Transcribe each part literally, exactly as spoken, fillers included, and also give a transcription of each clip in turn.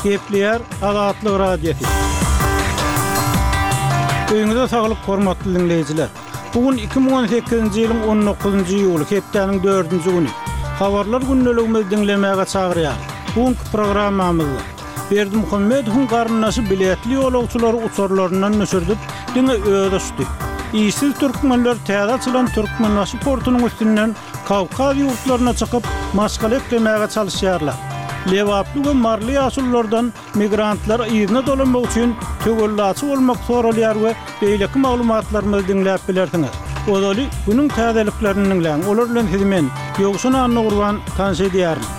Gepleýär Azatlyk Radiosy. Öýüňize saglyk, hormatly diňleýjiler. Bu gün iki müň on sekizinji ýylyň on dokuzynjy iýuly, hepdäniň dördünji güni. Habarlar gündeligimizi diňlemäge çagyrýarys. Bu günki programmamyzda Berdimuhamedowyň garyndaşy biletli ýolagçylary uçarlaryndan düşürdip, diňe özi uçdy. Işsiz türkmenler täze açylan Türkmenbaşy portunyň üstünden Kawkaz ýurtlaryna çykyp, maşgala eklemäge çalyşýarlar. Lebaply we maryly ýaşululardan migrantlara yzyna dolanmak üçin töwellaçy bolmak soralýar we beýleki maglumatlarymyzy diňläp bilersiňiz. Ozaly günüň täzeliklerini diňläň, olar bilen sizi men, Ýowşan Annagurban, tanyş edýärin.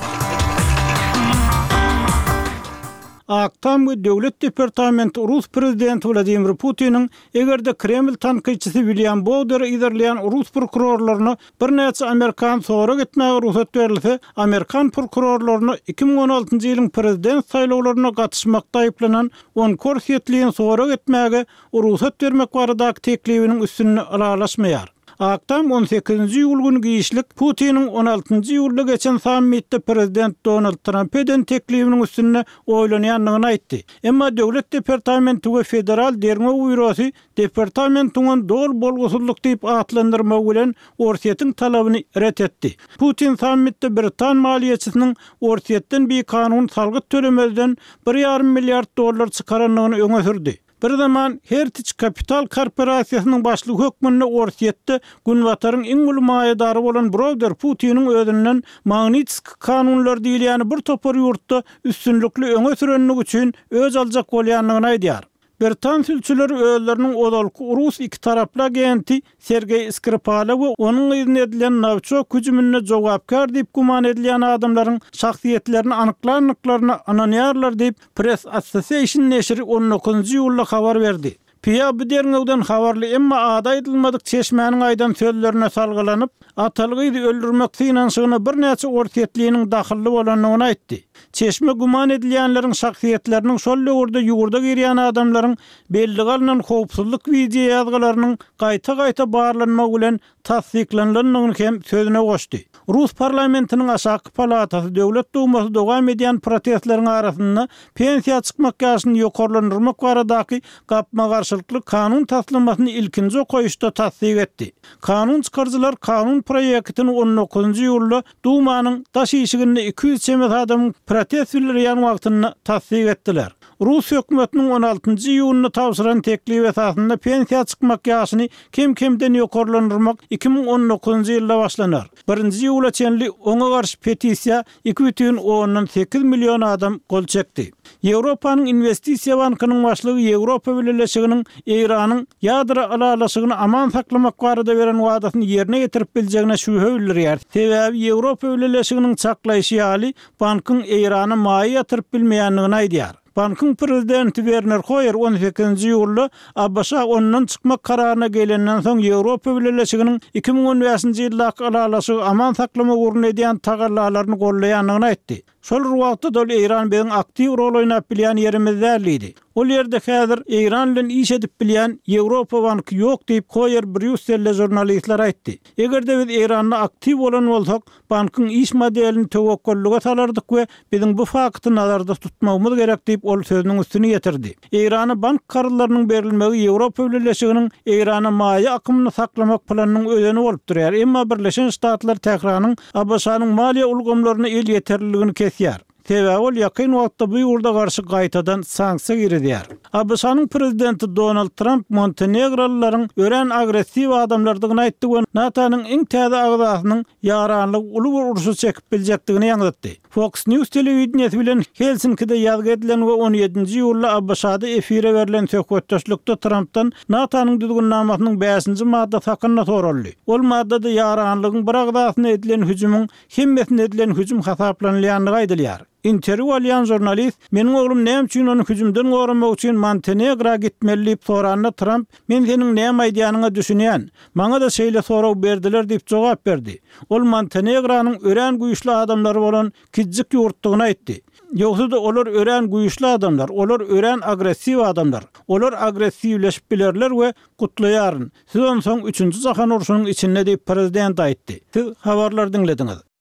Ak Tam we Döwlet departamenti rus prezidenti Wladimir Putiniň eger-de Kreml tankytçysy William Bowderi yzarlaýan rus prokurorlaryna birnäçe amerikan sorag etmäge rugsat berilse, amerikan prokurorlaryna iki müň on altynjy ýylyň prezident saýlawlaryna gatyşmakda aýyplanan on iki orsýetliýin sorag etmäge rugsat bermek baradaky teklibiniň üstünde ylalaşmaýar. Ak Tam on sekizinji iýul güni giçlik Putiniň on altynjy iýulda geçen sammitde prezident Donald Tramp eden teklibiniň üstünde oýlanýandygyny aýtdy. Emma Döwlet departamenti we Federal derňew býurosy departamentiň ony doly bolgusyzlyk diýip atlandyrmagy bilen Orsýetiň talabyny ret etdi. Putin sammitde Britan maliýeçisiniň Orsýetden bikanun salgyt tölemezden bir ýarym milliard dollar çykarandygyny öňe sürdi. Bir zaman Heritage Capital korporasiýasynyň başlygy hökmünde Orsýetde Günbataryň iň uly maýadary bolan Browder Putiniň özünden Magnitskiý kanunlary diýilýäni bir topar ýurtda üstünlikli öňe sürendigi üçin öz aljak bolýandygyny aýdýar. Britan sülçüleri özleriniň ozalky rus iki taraply agenti Sergeý Skripala we onuň yzyna edilen Nowiçok hüjüminde jogapkär diýip güman edilýän adamlaryň şahsyýetlerini anyklandyklaryna ynanýarlar diýip, Press Association neşiri on dokuzynjy iýulda habar berdi. P A bu derňewden habarly, emma ady aýdylmadyk çeşmäniň aýdan sözlerine salgylanyp, ataly gyzy öldürmek synanyşygyna birnäçe orsýetliniň dahylly bolandygyny aýtdy. Çeşme güman edilýänleriň şahsyýetleriniň şol döwürde ýurda girýän adamlaryň belli galynan howpsuzlyk wideo ýazgylarynyň gaýta-gaýta barlanmagy bilen tassyklanylandygyny hem sözüne goşdy. Rus parlamentiniň aşaky palatasy Döwlet Dumasy dowam edýän protestleriň arasynda pensiýa çykmak ýaşyny ýokarlandyrmak baradaky gapma-garşylykly kanun taslamasyny ilkinji okaýyşda tassyk etdi. Kanun çykaryjylar kanun proýektini on dokuzynjy iýulda Dumanyň daş işiginde iki ýüz çemesi adamyň protest bildirýän wagtynda tassyk etdiler. Rus hökümetiniň on altynjy iýunda tabşyran teklip esasynda pensiýa çykmak ýaşyny kem-kemden ýokarlandyrmak iki müň on dokuzynjy ýylda başlanar. Birinji iýula çenli oňa garşy petisiýa iki bütin ondan sekiz million adam gol çekdi. Ýewropanyň Investisiýa bankynyň başlygy Ýewropa Bileleşiginiň Eýranyň ýadro ylalaşygyny aman saklamak barada beren wadasyny ýerine getirip biljegine şübhe bildirýär. Sebäbi Ýewropa Bileleşiginiň çaklaýşy ýaly bankyň Eýrana maýa ýatyryp bilmeýändigini aýdýar. Bankyň prezidenti Werner Hoyer on sekizinji iýulda A B Ş ondan çykmak kararyna gelenden soň Ýewropa Bileleşiginiň iki müň on bäşinji ýyldaky ylalaşygy aman saklamak ugrunda edýän tagallalaryny gollaýandygyny aýtdy. Şol bir wagtda ol Eýran biziň aktiw rol oýnap bilýän ýerimiz däl diýdi. Ol ýerde häzir Eýran bilen iş edip bilýän Ýewropa banky ýok diýip Hoyer Brýusselde žurnalistler aýtdy. Eger-de biz Eýranda aktiw bolan bolsak, bankyň iş modelini töwekgellige salardyk we biziň bu fakty nazarda tutmagymyz gerek diýip ol sözüniň üstüni ýetirdi. Eýrana bank karzlarynyň berilmegi Ýewropa Bileleşiginiň Eýrana maýa akymyny saklamak planynyň özeni bolup durýar. Emma Birleşen Ştatlar Tähranyň A B Ş-nyň maliýe ulgamlaryna elýeterliligini kesýär. Sebäbi ol ýakyn wagtda bu ýurda garşy gaýtadan sanksiýa girizýär. A B Ş-nyň prezidenti Donald Trump Montenegrolylaryň örän agressiw adamlardygyny aýtdy we NATO-nyň iň täze agzasynyň ýaranlygy uly bir urşy çekip biljekdigini ýaňzytdy. Fox News telewideniýesi bilen Helsinkide ýazgy edilen we on ýedinji iýulda A B Ş-da efire berlen söhbetdeşlikde Trumpdan NATO-nyň düzgünnamasynyň bäşinji maddasy hakynda soraldy. Ol maddada ýaranlygyň bir agzasyna edilen hüjümiň hemmesine edilen hüjüm hasaplanylýandygy aýdylýar. Interwýu alýan žurnalist, meniň oglum näme üçin ony hüjümden goramak üçin Montenegra gitmeli diýip soranda Trump, men seniň näme aýdýanyňa düşünýän, maňa da şeýle sorag berdiler diýip jogap berdi. Ol Montenegranyň örän güýçli adamlary bolan kiçijik ýurtdugyny aýtdy. Ýogsa-da olar örän güýçli adamlar, olar örän agressiw adamlar. Olar agressiwleşip bilerler we gutlaýaryn. Siz onsoň üçünji jahan urşunyň içinde diýip prezident aýtdy. Siz habarlar diňlediňiz.